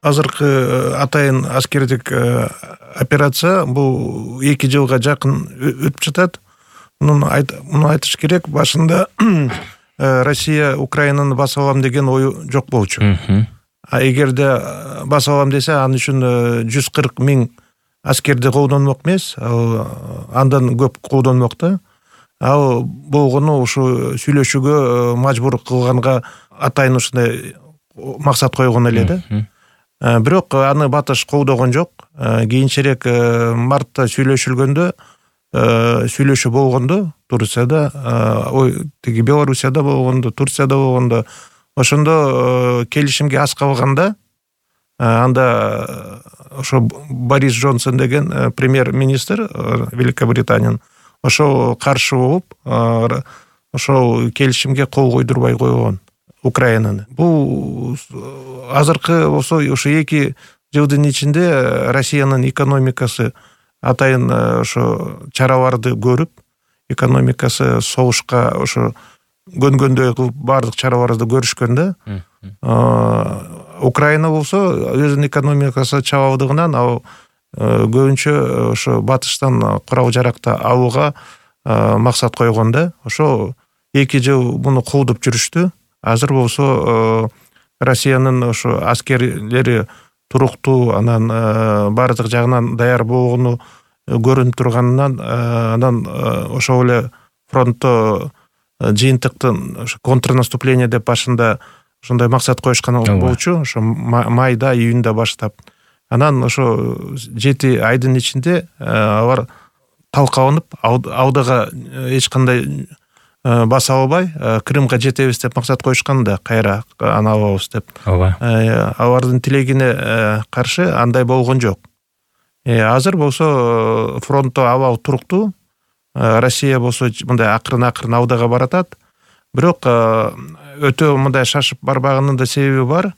азыркы атайын аскердик операция бул 2 жылга жакын өтүп жатат. Муну айтыш керек, башында Россия Украинаны басып алам деген ою жок болчу. А эгерде басып алам десе, анын үчүн 140 000 аскерди колдонмок эмес, андан көп колдонмок да. Ал болгону ушу сүйлөшүүгө мажбур кылганга атайын ушундай максат койгон эле да. Бирок аны Батыш колдогон жок. Кийинчерээк мартта сүйлөшүлгөндө, сүйлөшүү болгондо Турцияда, тиги Белоруссияда болгондо, Турцияда болгондо, ошондо келишимге аз калганда, анда ошо Борис Джонсон деген премьер-министр Великобританиянын ошол каршы болуп, ошол келишимге кол койдурбай койгон Украинаны. Бул азыркы болсо ошо 2 жылдын ичинде Россиянын экономикасы атайын ошо чараларды көрүп, экономикасы согушка ошо көнгөндөй кылып бардык чараларды көрүшкөн да. Украина болсо өзүнүн экономикасы чабалдыгынан ал көбүнчө ошо Батыштан курал-жаракты алууга максат койгон да. Ошо 2 жыл муну колдоп жүрүштү. Азыр болсо Россиянын ошо аскерлери туруктуу, анан бардык жагынан даяр болгону көрүнүп турганынан, анан ошол эле фронтто жыйынтыктын контрнаступление деп башында ошондой максат коюшкан болчу, ошо майда, июнда баштап. Анан ошо 7 айдын ичинде алар талкаланып, алдыга эч кандай баса албай, Крымга жетебиз деп максат коюшкан да, кайра аны алабыз деп. Алардын тилегине каршы андай болгон жок. Азыр болсо фронтто абал туруктуу. Россия болсо мындай акырын алдыга баратат. Бирок өтө мындай шашып барбаганын да себеби бар.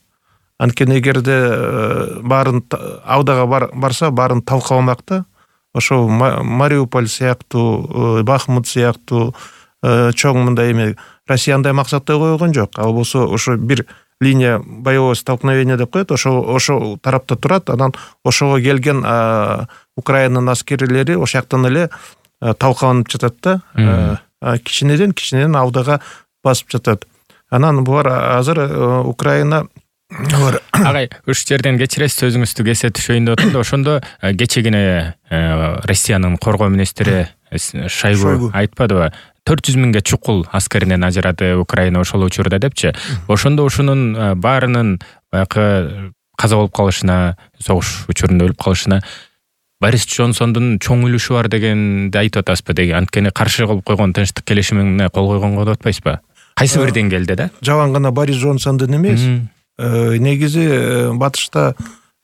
Анткени эгерде баарын алдыга барса, баарын талкаламак да. Ошо Мариуполь сыяктуу, Бахмут сыяктуу чоң мындай эме Россия андай максатты койгон жок. Ал болсо ошо бир линия боевого столкновения деп коет, ошо тарапта турат. Анан ошого келген Украинанын аскерлери ошол жактан эле талкаланып жатат да. Кичинеден алдыга басып жатат. Анан булар азыр Украина Агай, уш жерден кечиресиз, сөзүңүздү кесе түшөйүн деп атам. Ошондо кечегине Россиянын коргоо министри Шойгу айтпадыбы? 400 000 чукул аскеринен ажырады Украина ошол учурда депчи. Ошондо ушунун баарынын баягы каза болуп калышына, согуш учурунда өлүп калышына Борис Джонсондун чоң үлүшү бар дегенди айтып атасызбы деген? Анткени каршы кылып койгон тынчтык келишимине кол койгонго деп атпайсызбы? Кайсы бир деңгээлде да? Жалаң гана Борис Джонсондун эмес. Негизи Батышта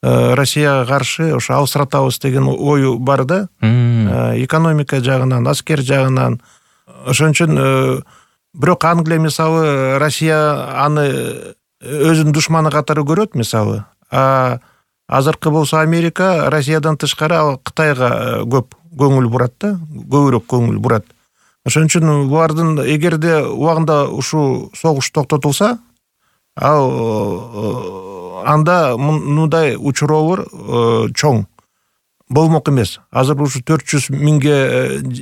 Россияга каршы ошо алсыратабыз деген ою бар да. Экономика жагынан, аскер жагынан. Ошон үчүн бирок Англия мисалы Россия аны өзүнүн душманы катары көрөт мисалы. Азыркы болсо Америка Россиядан тышкары Кытайга көп көңүл бурат да, көбүрөөк көңүл бурат. Ошон үчүн булардын эгерде убагында ушул согуш токтотулса, анда мындай учуроолор чоң болмок эмес. Азыр ушу 400 000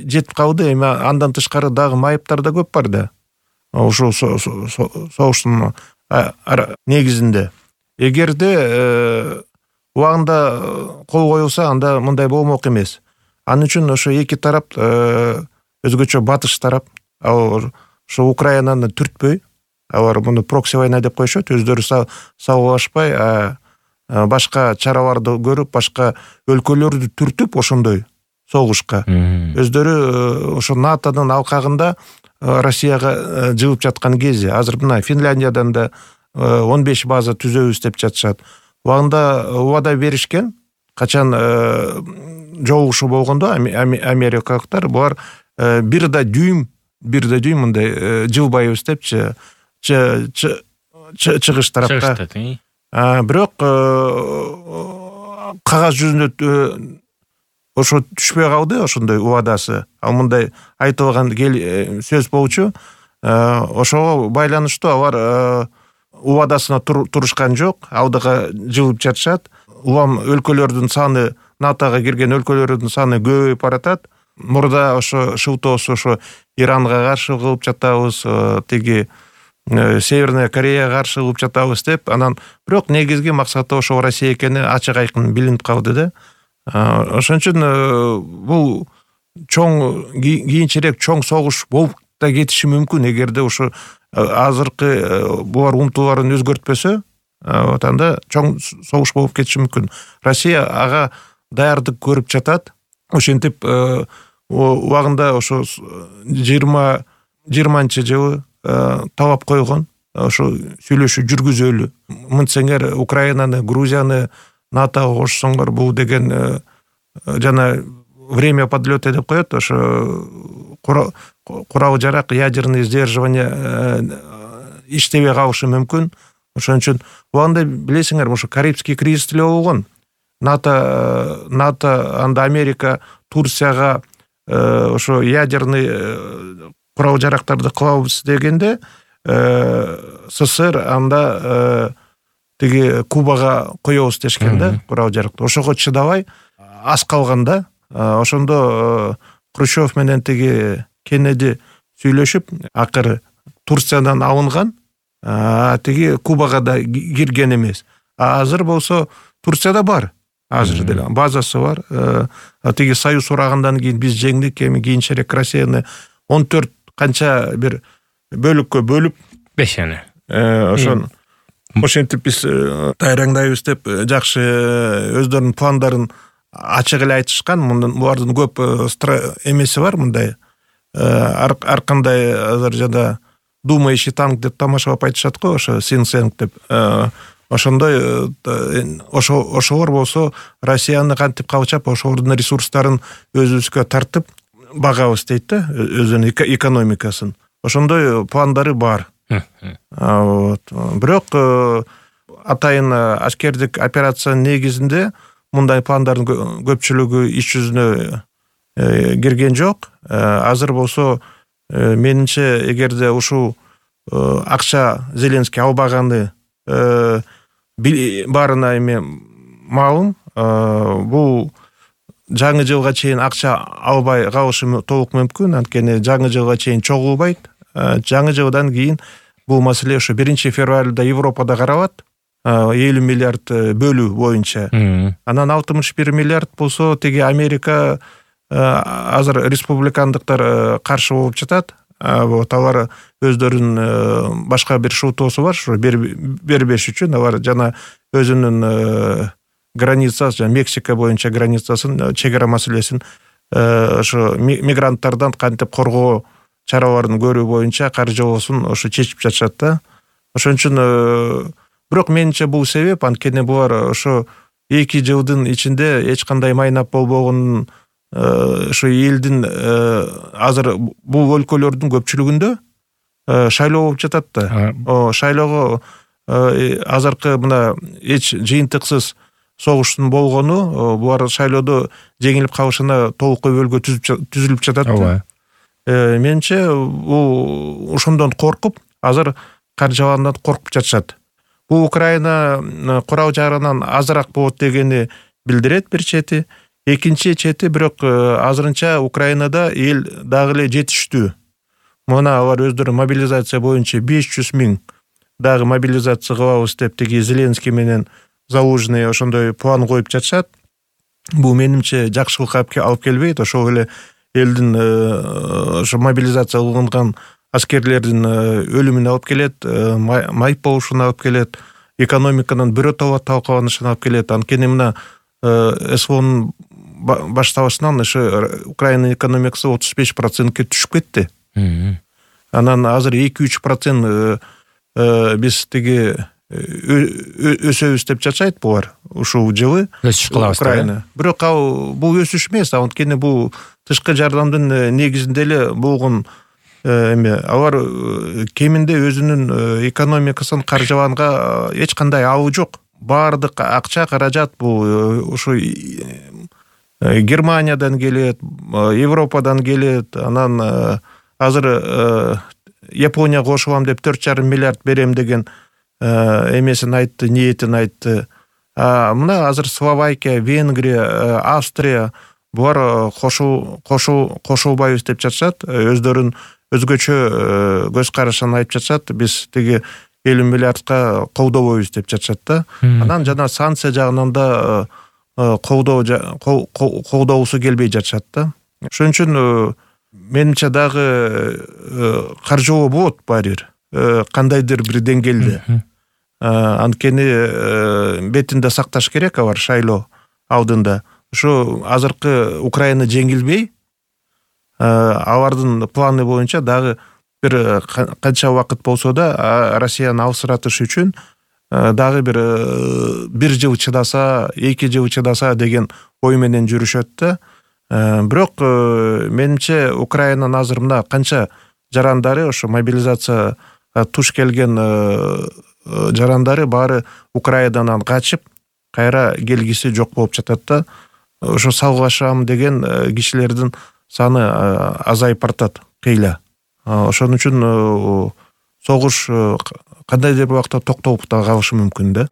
жетип калды, эми андан тышкары дагы майыптар да көп бар да. Ушул согуштун негизинде. Эгерде убагында кол коюлса, анда мындай болмок эмес. Анын үчүн ошо 2 тарап, өзгөчө Батыш тарап, ошо Украинаны түртпөй, алар муну прокси война деп коюшат, өздөрү салгылашпай, башка чараларды көрүп, башка өлкөлөрдү түртүп ошондой согушка. Өздөрү ошо НАТОнун алкагында Россияга жылып жаткан кези. Азыр мына Финляндиядан да 15 база түзөбүз деп жатышат. Убагында убада беришкен, качан жолугушуу болгондо америкалыктар булар бир да дүйм мындай жылбайбыз депчи чыгыш тарапка. Бирок кагаз жүзүндө ошо түшпөй калды ошондой убадасы. Ал мындай айтылган сөз болчу. Ошого байланыштуу алар убадасына турушкан жок, алдыга жылып жатышат. Улам өлкөлөрдүн саны, НАТОга кирген өлкөлөрдүн саны көбөйүп баратат. Мурда ошо шылтоосу ошо Иранга каршы кылып жатабыз, тиги Северная Кореяга каршы кылып жатабыз деп, анан бирок негизги максаты ошо Россия экени ачык айкын билинип калды да. Ошон үчүн бул чоң кийинчерээк чоң согуш болуп да кетиши мүмкүн, эгерде ошо азыркы булар умтулууларын өзгөртпөсө, анда чоң согуш болуп кетиши мүмкүн. Россия ага даярдык көрүп жатат. Ошентип убагында ошо 20-20 жылы талап койгон, ошо сүйлөшүү жүргүзөлү. Мынтсеңер Украинаны, Грузияны НАТОга кошсоңор, бул деген жана время подлета деп коет, ошо курал жарак, ядерный сдерживание иштебей калышы мүмкүн. Ошон үчүн убагында билесиңер, ошо Карибский кризис деле болгон. НАТО анда Америка Турцияга ошо ядерный курал жарактарды кылабыз дегенде, СССР анда тиги Кубага коебуз дешкен да, курал жаракты. Ошого чыдабай аз калганда, ошондо Хрущев менен тиги Кеннеди сүйлөшүп, акыры Турциядан алынган, тиги Кубага да кирген эмес. Азыр болсо Турцияда бар. Азыр деле базасы бар. Тиги Союз урагындан кийин биз жеңдик, эми кийинчерээк Россияны 14 канча бир бөлүккө бөлүп 5 эне. Ошентип биз тайраңдайбыз деп жакшы өздөрүнүн пландарын ачык эле айтышкан. Булардын көп эмеси бар, мындай ар кандай азыр жана думающий танк деп тамашалап айтышат го, ошо think деп. Ошондой ошолор болсо Россияны кантип калчап, ошолордун ресурстарын өзүбүзгө тартып багабыз дейт да, өзүнүн экономикасын. Ошондой пландары бар. Бирок атайын аскердик операциянын негизинде мындай пландардын көпчүлүгү иш жүзүнө кирген жок. Азыр болсо менимче, эгерде ушул акча Зеленский албаганы баарына эми маалым, бул жаңы жылга чейин акча албай калышы толук мүмкүн, анткени жаңы жылга чейин чогулбайт. Жаңы жылдан кийин бул маселе ошо 1-февралда Европада каралат, 50 миллиард бөлүү боюнча. Анан 61 миллиард болсо тиги Америка азыр республикандыктар каршы болуп жатат. Алар өздөрүнүн башка бир шылтоосу бар, ошо бербеш үчүн алар жана өзүнүн границасы, жана Мексика боюнча границасын, чегара маселесин ошо мигранттардан кантип коргоо чараларын көрүү боюнча каржылоосун ошо чечип жатышат да. Ошон үчүн бирок менимче бул себеп, анткени булар ошо 2 жылдын ичинде эч кандай майнап болбогонун, ошо элдин азыр бул өлкөлөрдүн көпчүлүгүндө шайлоо болуп жатат да. Шайлоого азыркы мына эч жыйынтыксыз согуштун болгону, булар шайлоодо жеңилип калышына толук көбөлгө түзүлүп жатат да. Менимче бул ошондон коркуп, азыр каржыландан коркуп жатышат. Бул Украина курал жарынан азыраак болот дегени билдирет бир чети. Экинчи чети бирок азырынча Украинада эл дагы эле жетиштүү. Мына алар өздөрү мобилизация боюнча 500 000 дагы мобилизация кылабыз деп тиги Зеленский менен Залужный ошондой план коюп жатышат. Бул менимче жакшылыкка алып келбейт. Ошол эле элдин ошо мобилизация кылынган аскерлердин өлүмүнө алып келет, майып болушуна алып келет, экономиканын биротоло талкаланышына алып келет. Анткени мына СВОнун башталышынан ошо Украина экономикасы 35%ке түшүп кетти. Анан азыр 2-3% биз тиги өсөбүз деп жатышат булар ушул жылы Украина. Бирок бул өсүш эмес, анткени бул тышкы жардамдын негизинде эле болгон эме. Алар кеминде өзүнүн экономикасын каржылаганга эч кандай абы жок. Баардык акча каражат бул ушу Германиядан келет, Европадан келет. Анан азыр Япония кошулам деп 4,5 миллиард берем деген эмесин айтты, ниетин айтты. Мына азыр Словакия, Венгрия, Австрия булар кошулбайбыз деп жатышат. Өздөрүн өзгөчө көз карашын айтып жатышат. Биз тиги 50 миллиардка колдобойбуз деп жатышат да. Анан жана санкция жагынан да колдоосу келбей жатышат да. Ошон үчүн менимче дагы каржылоо болот баары бир кандайдыр бир деңгээлде. Анткени бетинде сакташ керек алар шайлоо алдында. Ушу азыркы Украина жеңилбей, алардын планы боюнча дагы бир канча убакыт болсо да Россияны алсыратыш үчүн дагы бир жыл чыдаса, 2 жыл чыдаса деген ой менен жүрүшөт да. Бирок менимче Украинанын азыр мына канча жарандары, ошо мобилизация туш келген жарандары баары Украинадан качып, кайра келгиси жок болуп жатат да. Ошо салгылашам деген кишилердин саны азайып бартат кыйла. Ошон үчүн согуш кандайдыр бир убакта токтоп да калышы мүмкүн да.